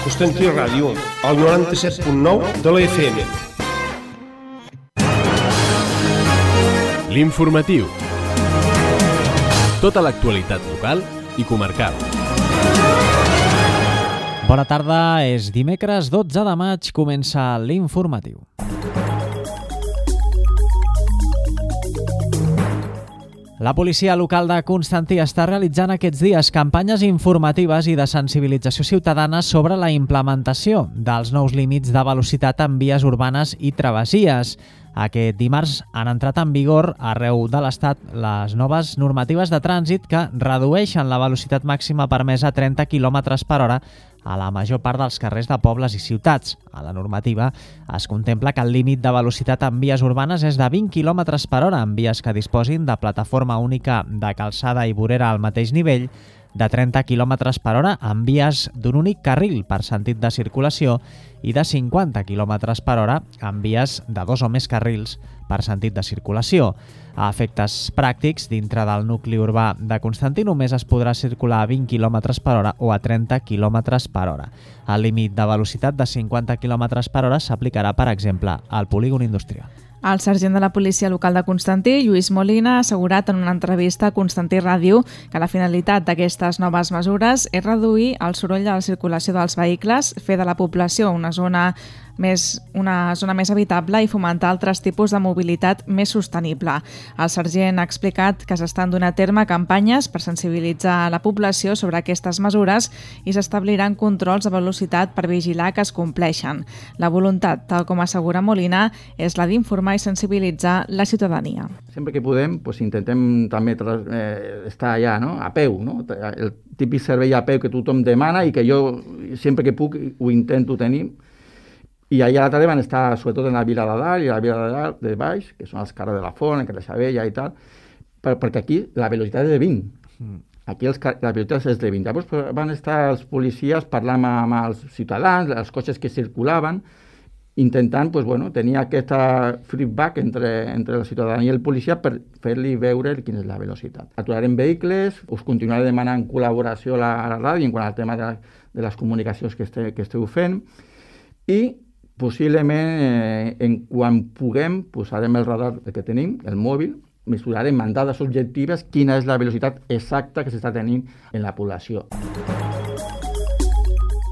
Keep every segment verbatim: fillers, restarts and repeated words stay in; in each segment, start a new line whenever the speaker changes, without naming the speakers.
Constantí Ràdio, al noranta-set punt nou de la F M.
L'informatiu. Tota l'actualitat local i comarcal.
Bona tarda, és dimecres dotze de maig, comença l'informatiu. La policia local de Constantí està realitzant aquests dies campanyes informatives i de sensibilització ciutadana sobre la implementació dels nous límits de velocitat en vies urbanes i travessies. Aquest dimarts han entrat en vigor arreu de l'Estat les noves normatives de trànsit que redueixen la velocitat màxima permesa a trenta quilòmetres per hora a la major part dels carrers de pobles i ciutats. A la normativa es contempla que el límit de velocitat en vies urbanes és de vint quilòmetres per hora en vies que disposin de plataforma única de calçada i vorera al mateix nivell, de trenta quilòmetres per hora en vies d'un únic carril per sentit de circulació i de cinquanta quilòmetres per hora en vies de dos o més carrils per sentit de circulació. A efectes pràctics, dintre del nucli urbà de Constantí només es podrà circular a vint quilòmetres per hora o a trenta quilòmetres per hora. El límit de velocitat de cinquanta quilòmetres per hora s'aplicarà, per exemple, al polígon industrial.
El sergent de la policia local de Constantí, Lluís Molina, ha assegurat en una entrevista a Constantí Ràdio que la finalitat d'aquestes noves mesures és reduir el soroll de la circulació dels vehicles, fer de la població una zona més, una zona més habitable i fomentar altres tipus de mobilitat més sostenible. El sergent ha explicat que s'estan donant a terme campanyes per sensibilitzar la població sobre aquestes mesures i s'establiran controls de velocitat per vigilar que es compleixen. La voluntat, tal com assegura Molina, és la d'informar i sensibilitzar la ciutadania.
Sempre que podem, pues, intentem també eh, estar allà, no? A peu, no? El típic servei a peu que tothom demana i que jo sempre que puc ho intento tenir. I allà a la tarda van estar sobretot en la Vila de Dalt i la Vila de Dalt de Baix, que són els carrers de la Font, el carrer Sabella i tal, per, perquè aquí la velocitat és de vint. Mm. Aquí els, la velocitat és de vint. Llavors van estar els policies parlant amb els ciutadans, els cotxes que circulaven, intentant pues, bueno, tenir aquesta feedback entre, entre la ciutadania i el policia per fer-li veure quina és la velocitat. Aturarem vehicles, us continuaré demanant col·laboració a la, a la ràdio en quant al tema de, de les comunicacions que, este, que esteu fent i possiblement, eh, en quan puguem, posarem el radar que tenim, el mòbil, mesurarem amb dades objectives quina és la velocitat exacta que s'està tenint en la població.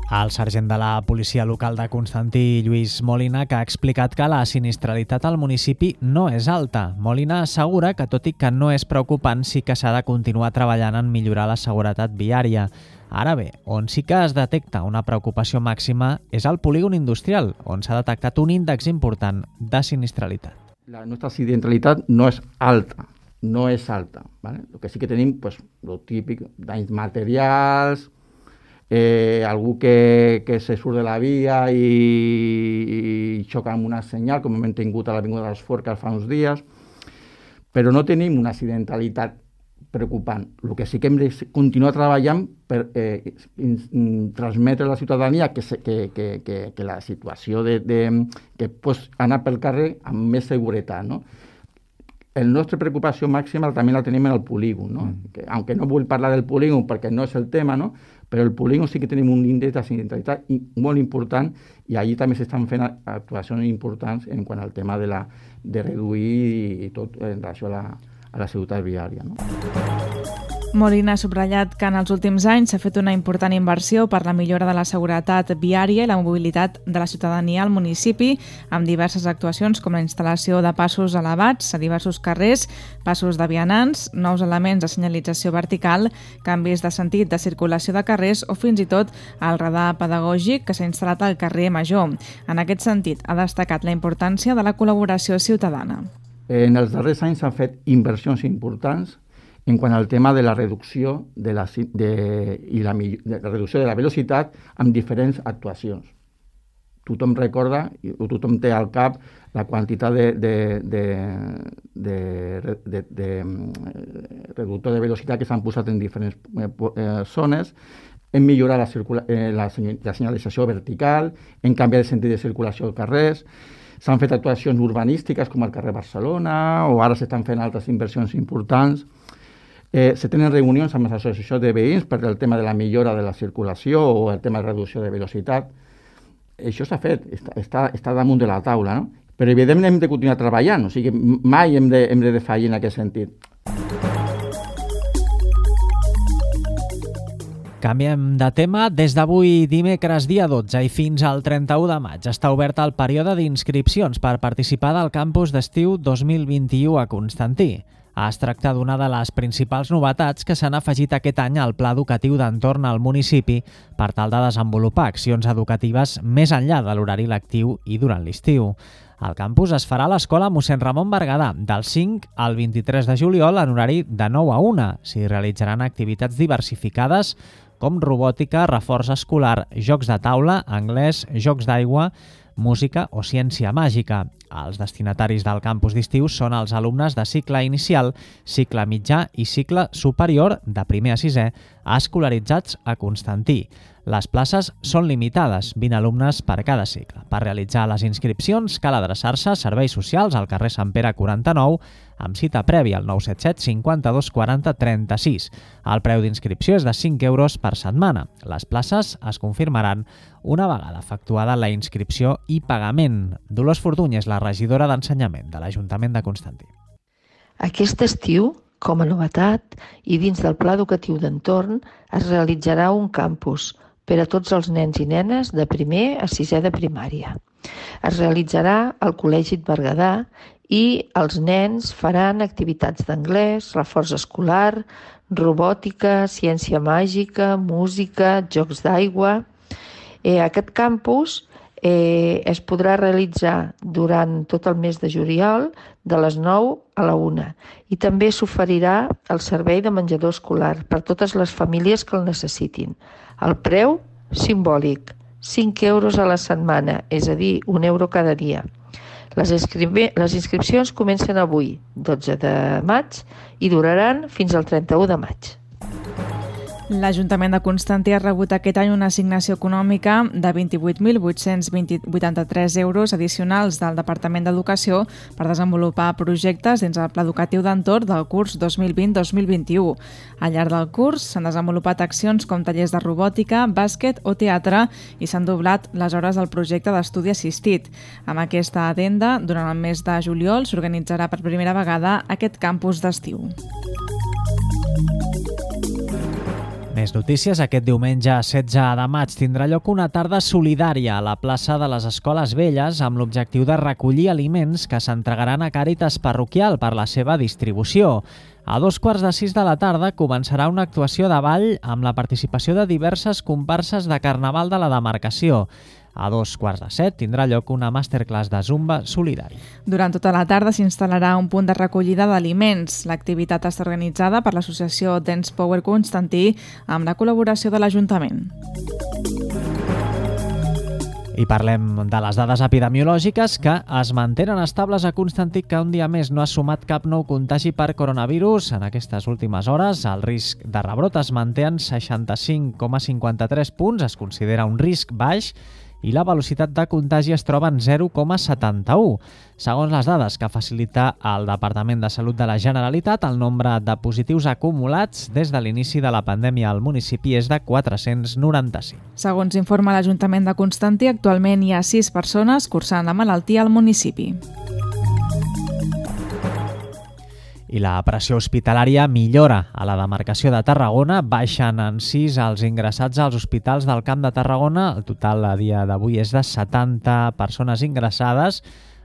El sergent de la policia local de Constantí, Lluís Molina, que ha explicat que la sinistralitat al municipi no és alta. Molina assegura que, tot i que no és preocupant, sí que s'ha de continuar treballant en millorar la seguretat viària. Ara bé, on sí que es detecta una preocupació màxima és al polígon industrial, on s'ha detectat un índex important de sinistralitat.
La nostra accidentalitat no és alta, no és alta. ¿vale? El que sí que tenim, pues, lo típic, danys materials, eh, algú que, que se surt de la via i, i xoca amb una senyal, com hem tingut a l'Avinguda dels Forcas fa uns dies, però no tenim una accidentalitat preocupant. El que sí que hem de continuar treballant per eh, in, in, transmetre a la ciutadania que, se, que, que, que, que la situació de, de, que pots anar pel carrer amb més seguretat. No? El nostre preocupació màxima també la tenim en el polígon. No? Mm. Que, aunque no vull parlar del polígon perquè no és el tema, no? Però el polígon sí que tenim un índex d'accidentalitat molt important i allí també s'estan fent actuacions importants en quant al tema de, la, de reduir i tot en relació a la a la ciutat viària. No?
Molina ha subratllat que en els últims anys s'ha fet una important inversió per la millora de la seguretat viària i la mobilitat de la ciutadania al municipi, amb diverses actuacions com la instal·lació de passos elevats a diversos carrers, passos de vianants, nous elements de senyalització vertical, canvis de sentit de circulació de carrers o fins i tot el radar pedagògic que s'ha instal·lat al carrer Major. En aquest sentit, ha destacat la importància de la col·laboració ciutadana.
En els darrers anys s'han fet inversions importants en quant al tema de la reducció de la, de, i la, de la reducció de la velocitat amb diferents actuacions. Tothom recorda, o tothom té al cap, la quantitat de, de, de, de, de, de, de reductor de velocitat que s'han posat en diferents eh, zones, en millorar la, circula, eh, la, la senyalització vertical, en canviar el sentit de circulació als carrers. S'han fet actuacions urbanístiques com al carrer Barcelona o ara s'estan fent altres inversions importants. Eh, se tenen reunions amb les associacions de veïns per el tema de la millora de la circulació o el tema de reducció de velocitat. Això s'ha fet, està, està, està damunt de la taula, no? Però evidentment hem de continuar treballant, o sigui, mai hem de, hem de defallir en aquest sentit.
Canviem de tema. Des d'avui dimecres dia dotze i fins al trenta-u de maig està obert el període d'inscripcions per participar del campus d'estiu dos mil vint-i-u a Constantí. Es tracta d'una de les principals novetats que s'han afegit aquest any al Pla Educatiu d'Entorn al municipi per tal de desenvolupar accions educatives més enllà de l'horari lectiu i durant l'estiu. El campus es farà a l'Escola Mossèn Ramon Berguedà del cinc al vint-i-tres de juliol en horari de nou a una. S'hi realitzaran activitats diversificades com robòtica, reforç escolar, jocs de taula, anglès, jocs d'aigua, música o ciència màgica. Els destinataris del campus d'estiu són els alumnes de cicle inicial, cicle mitjà i cicle superior de primer a sisè escolaritzats a Constantí. Les places són limitades, vint alumnes per cada cicle. Per realitzar les inscripcions cal adreçar-se a Serveis Socials al carrer Sant Pere quaranta-nou amb cita prèvia al nou set set cinquanta-dos quaranta trenta-sis. El preu d'inscripció és de cinc euros per setmana. Les places es confirmaran una vegada efectuada la inscripció i pagament. Dolors Fortuny és la regidora d'Ensenyament de l'Ajuntament de Constantí.
Aquest estiu, com a novetat, i dins del Pla Educatiu d'Entorn, es realitzarà un campus per a tots els nens i nenes de primer a sisè de primària. Es realitzarà al Col·legi Berguedà i els nens faran activitats d'anglès, reforç escolar, robòtica, ciència màgica, música, jocs d'aigua. Eh, aquest campus eh, es podrà realitzar durant tot el mes de juliol de les nou a la una i també s'oferirà el servei de menjador escolar per totes les famílies que el necessitin. El preu, simbòlic, cinc euros a la setmana, és a dir, un euro cada dia. Les, inscri- les inscripcions comencen avui, dotze de maig, i duraran fins al trenta-u de maig.
L'Ajuntament de Constantí ha rebut aquest any una assignació econòmica de vint-i-vuit mil vuit-cents vuitanta-tres euros addicionals del Departament d'Educació per desenvolupar projectes dins el Pla Educatiu d'Entorn del curs dos mil vint dos mil vint-i-u. Al llarg del curs s'han desenvolupat accions com tallers de robòtica, bàsquet o teatre i s'han doblat les hores del projecte d'estudi assistit. Amb aquesta addenda, durant el mes de juliol s'organitzarà per primera vegada aquest campus d'estiu.
Més notícies. Aquest diumenge setze de maig tindrà lloc una tarda solidària a la plaça de les Escoles Velles amb l'objectiu de recollir aliments que s'entregaran a Càritas Parroquial per la seva distribució. A dos quarts de sis de la tarda començarà una actuació de ball amb la participació de diverses comparses de Carnaval de la demarcació. A dos quarts de set tindrà lloc una masterclass de Zumba solidari.
Durant tota la tarda s'instal·larà un punt de recollida d'aliments. L'activitat està organitzada per l'associació Dance Power Constantí amb la col·laboració de l'Ajuntament.
I parlem de les dades epidemiològiques que es mantenen estables a Constantí, que un dia més no ha sumat cap nou contagi per coronavirus. En aquestes últimes hores el risc de rebrot es manté en seixanta-cinc coma cinquanta-tres punts, es considera un risc baix, i la velocitat de contagi es troba en zero coma setanta-u. Segons les dades que facilita el Departament de Salut de la Generalitat, el nombre de positius acumulats des de l'inici de la pandèmia al municipi és de quatre-cents noranta-cinc.
Segons informa l'Ajuntament de Constantí, actualment hi ha sis persones cursant la malaltia al municipi.
I la pressió hospitalària millora. A la demarcació de Tarragona baixen en sis els ingressats als hospitals del Camp de Tarragona. El total a dia d'avui és de setanta persones ingressades.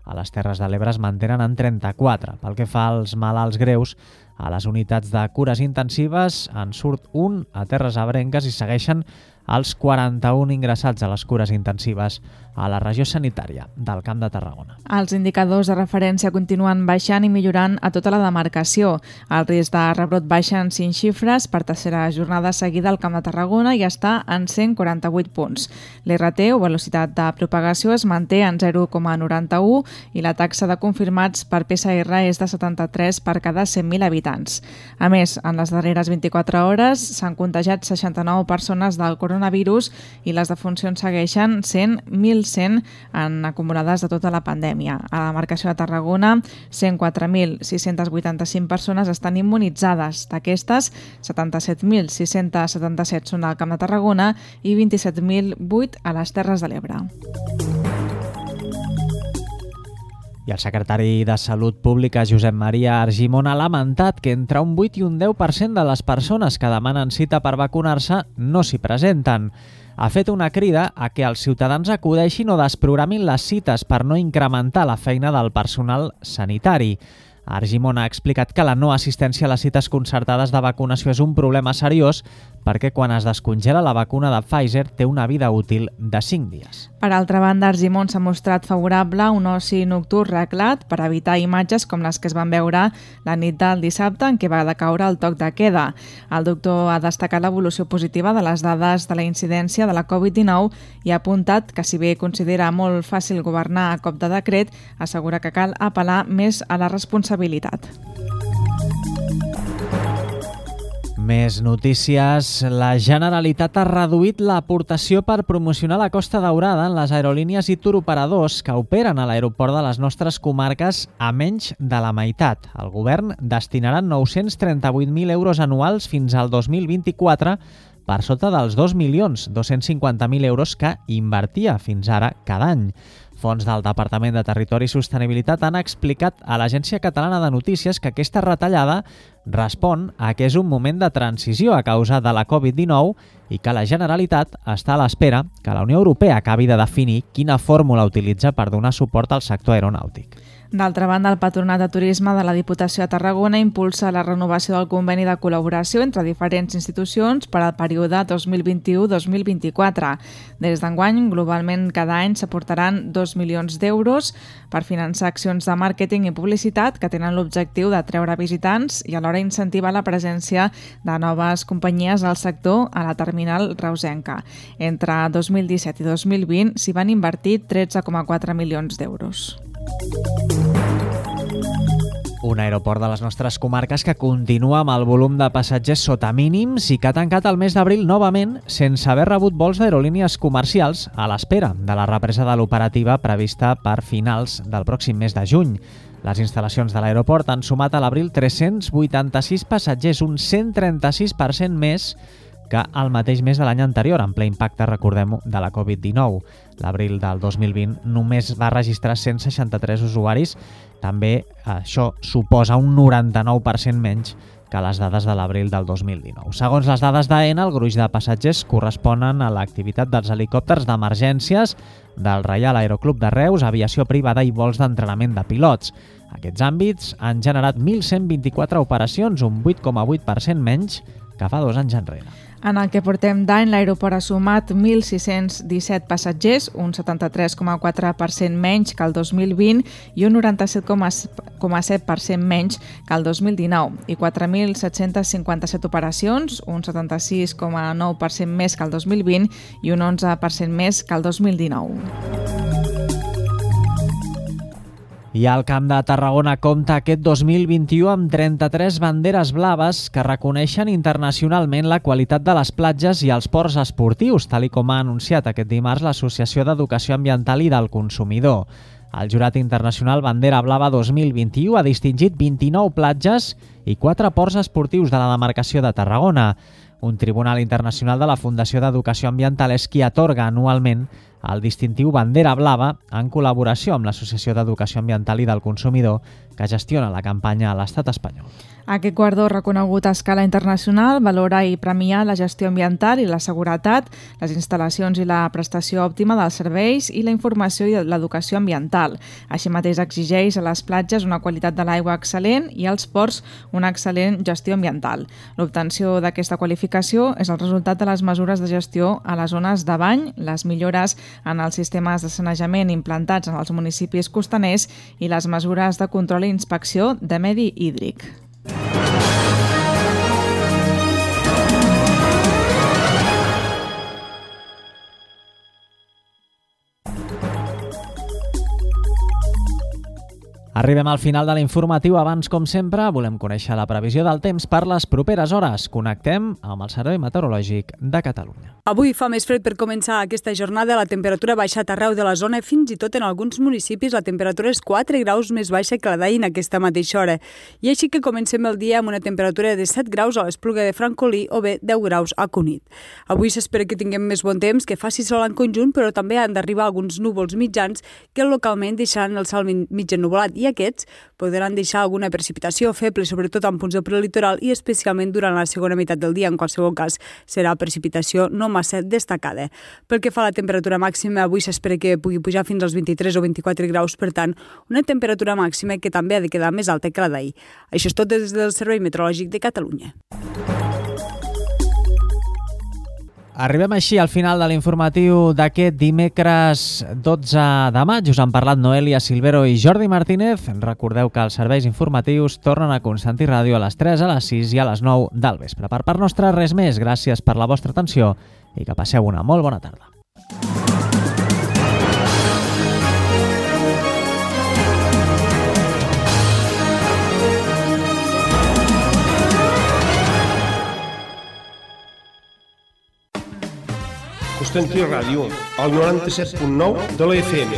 A les Terres de l'Ebre es mantenen en trenta-quatre. Pel que fa als malalts greus, a les unitats de cures intensives en surt un a Terres Ebrenques i segueixen els quaranta-un ingressats a les cures intensives a la regió sanitària del Camp de Tarragona.
Els indicadors de referència continuen baixant i millorant a tota la demarcació. El risc de rebrot baixa en cinc xifres per tercera jornada seguida al Camp de Tarragona i està en cent quaranta-vuit punts. L'R T o velocitat de propagació es manté en zero coma noranta-u i la taxa de confirmats per P C R és de setanta-tres per cada cent mil habitants. A més, en les darreres vint-i-quatre hores s'han contagiat seixanta-nou persones del coronavirus coronavirus i les defuncions segueixen sent mil cent en acumulades de tota la pandèmia. A la demarcació de Tarragona, cent quatre mil sis-cents vuitanta-cinc persones estan immunitzades. D'aquestes, setanta-set mil sis-cents setanta-set són al Camp de Tarragona i vint-i-set mil vuit a les Terres de l'Ebre.
I el secretari de Salut Pública, Josep Maria Argimon, ha lamentat que entre un vuit i un deu per cent de les persones que demanen cita per vacunar-se no s'hi presenten. Ha fet una crida a que els ciutadans acudeixin o desprogramin les cites per no incrementar la feina del personal sanitari. Argimon ha explicat que la no assistència a les cites concertades de vacunació és un problema seriós perquè quan es descongela la vacuna de Pfizer té una vida útil de cinc dies.
Per altra banda, Argimon s'ha mostrat favorable a un oci nocturn reglat per evitar imatges com les que es van veure la nit del dissabte en què va decaure el toc de queda. El doctor ha destacat l'evolució positiva de les dades de la incidència de la covid dinou i ha apuntat que si bé considera molt fàcil governar a cop de decret, assegura que cal apel·lar més a la responsabilitat.
Més notícies. La Generalitat ha reduït l'aportació per promocionar la Costa Daurada en les aerolínies i turoperadors que operen a l'aeroport de les nostres comarques a menys de la meitat. El govern destinarà nou-cents trenta-vuit mil euros anuals fins al dos mil vint-i-quatre per sota dels dos milions dos-cents cinquanta mil euros que invertia fins ara cada any. Fons del Departament de Territori i Sostenibilitat han explicat a l'Agència Catalana de Notícies que aquesta retallada respon a que és un moment de transició a causa de la covid dinou i que la Generalitat està a l'espera que la Unió Europea acabi de definir quina fórmula utilitza per donar suport al sector aeronàutic.
D'altra banda, el Patronat de Turisme de la Diputació de Tarragona impulsa la renovació del conveni de col·laboració entre diferents institucions per al període dos mil vint-i-u dos mil vint-i-quatre. Des d'enguany, globalment, cada any s'aportaran dos milions d'euros per finançar accions de màrqueting i publicitat que tenen l'objectiu d'atreure visitants i alhora incentivar la presència de noves companyies al sector a la terminal reusenca. Entre dos mil disset i dos mil vint s'hi van invertir tretze coma quatre milions d'euros.
Un aeroport de les nostres comarques que continua amb el volum de passatgers sota mínims i que ha tancat el mes d'abril novament sense haver rebut vols d'aerolínies comercials a l'espera de la represa de l'operativa prevista per finals del pròxim mes de juny. Les instal·lacions de l'aeroport han sumat a l'abril tres-cents vuitanta-sis passatgers, un cent trenta-sis per cent més que el mateix mes de l'any anterior, en ple impacte, recordem-ho, de la covid dinou. L'abril del dos mil vint només va registrar cent seixanta-tres usuaris. També això suposa un noranta-nou per cent menys que les dades de l'abril del dos mil dinou. Segons les dades d'AENA, el gruix de passatgers corresponen a l'activitat dels helicòpters d'emergències, del Reial Aeroclub de Reus, aviació privada i vols d'entrenament de pilots. Aquests àmbits han generat mil cent vint-i-quatre operacions, un vuit coma vuit per cent menys que fa dos anys enrere.
En el que portem d'any, l'aeroport ha sumat mil sis-cents disset passatgers, un setanta-tres coma quatre per cent menys que el dos mil vint i un noranta-set coma set per cent menys que el dos mil dinou, i quatre mil set-cents cinquanta-set operacions, un setanta-sis coma nou per cent més que el dos mil vint i un onze per cent més que el dos mil dinou.
I el Camp de Tarragona compta aquest dos mil vint-i-u amb trenta-tres banderes blaves que reconeixen internacionalment la qualitat de les platges i els ports esportius, tal i com ha anunciat aquest dimarts l'Associació d'Educació Ambiental i del Consumidor. El Jurat Internacional Bandera Blava dos mil vint-i-u ha distingit vint-i-nou platges i quatre ports esportius de la demarcació de Tarragona. Un tribunal internacional de la Fundació d'Educació Ambiental és qui atorga anualment el distintiu Bandera Blava en col·laboració amb l'Associació d'Educació Ambiental i del Consumidor que gestiona la campanya a l'estat espanyol.
Aquest guardó reconegut a escala internacional valora i premia la gestió ambiental i la seguretat, les instal·lacions i la prestació òptima dels serveis i la informació i l'educació ambiental. Així mateix exigeix a les platges una qualitat de l'aigua excel·lent i als ports una excel·lent gestió ambiental. L'obtenció d'aquesta qualificació és el resultat de les mesures de gestió a les zones de bany, les millores en els sistemes de sanejament implantats en els municipis costaners i les mesures de control i inspecció de medi hídric.
Arribem al final de l'informatiu. Abans, com sempre, volem conèixer la previsió del temps per les properes hores. Connectem amb el Servei Meteorològic de Catalunya.
Avui fa més fred per començar aquesta jornada. La temperatura ha baixat arreu de la zona, fins i tot en alguns municipis la temperatura és quatre graus més baixa que la d'ahir en aquesta mateixa hora. I així que comencem el dia amb una temperatura de set graus a l'Espluga de Francolí o bé deu graus a Cunit. Avui s'espera que tinguem més bon temps, que faci sol en conjunt, però també han d'arribar alguns núvols mitjans que localment deixaran el cel mig ennuvolat, i aquests podran deixar alguna precipitació feble, sobretot en punts del prelitoral i especialment durant la segona meitat del dia. En qualsevol cas, serà precipitació no massa destacada. Pel que fa a la temperatura màxima, avui s'espera que pugui pujar fins als vint-i-tres o vint-i-quatre graus, per tant, una temperatura màxima que també ha de quedar més alta que la d'ahir. Això és tot des del Servei Meteorològic de Catalunya.
Arribem així al final de l'informatiu d'aquest dimecres dotze de maig. Us han parlat Noelia Silvero i Jordi Martínez. Recordeu que els serveis informatius tornen a Constantí Ràdio a les tres, a les sis i a les nou del vespre. Per part nostra, res més. Gràcies per la vostra atenció i que passeu una molt bona tarda.
Constantí Ràdio, al noranta-set punt nou de la F M.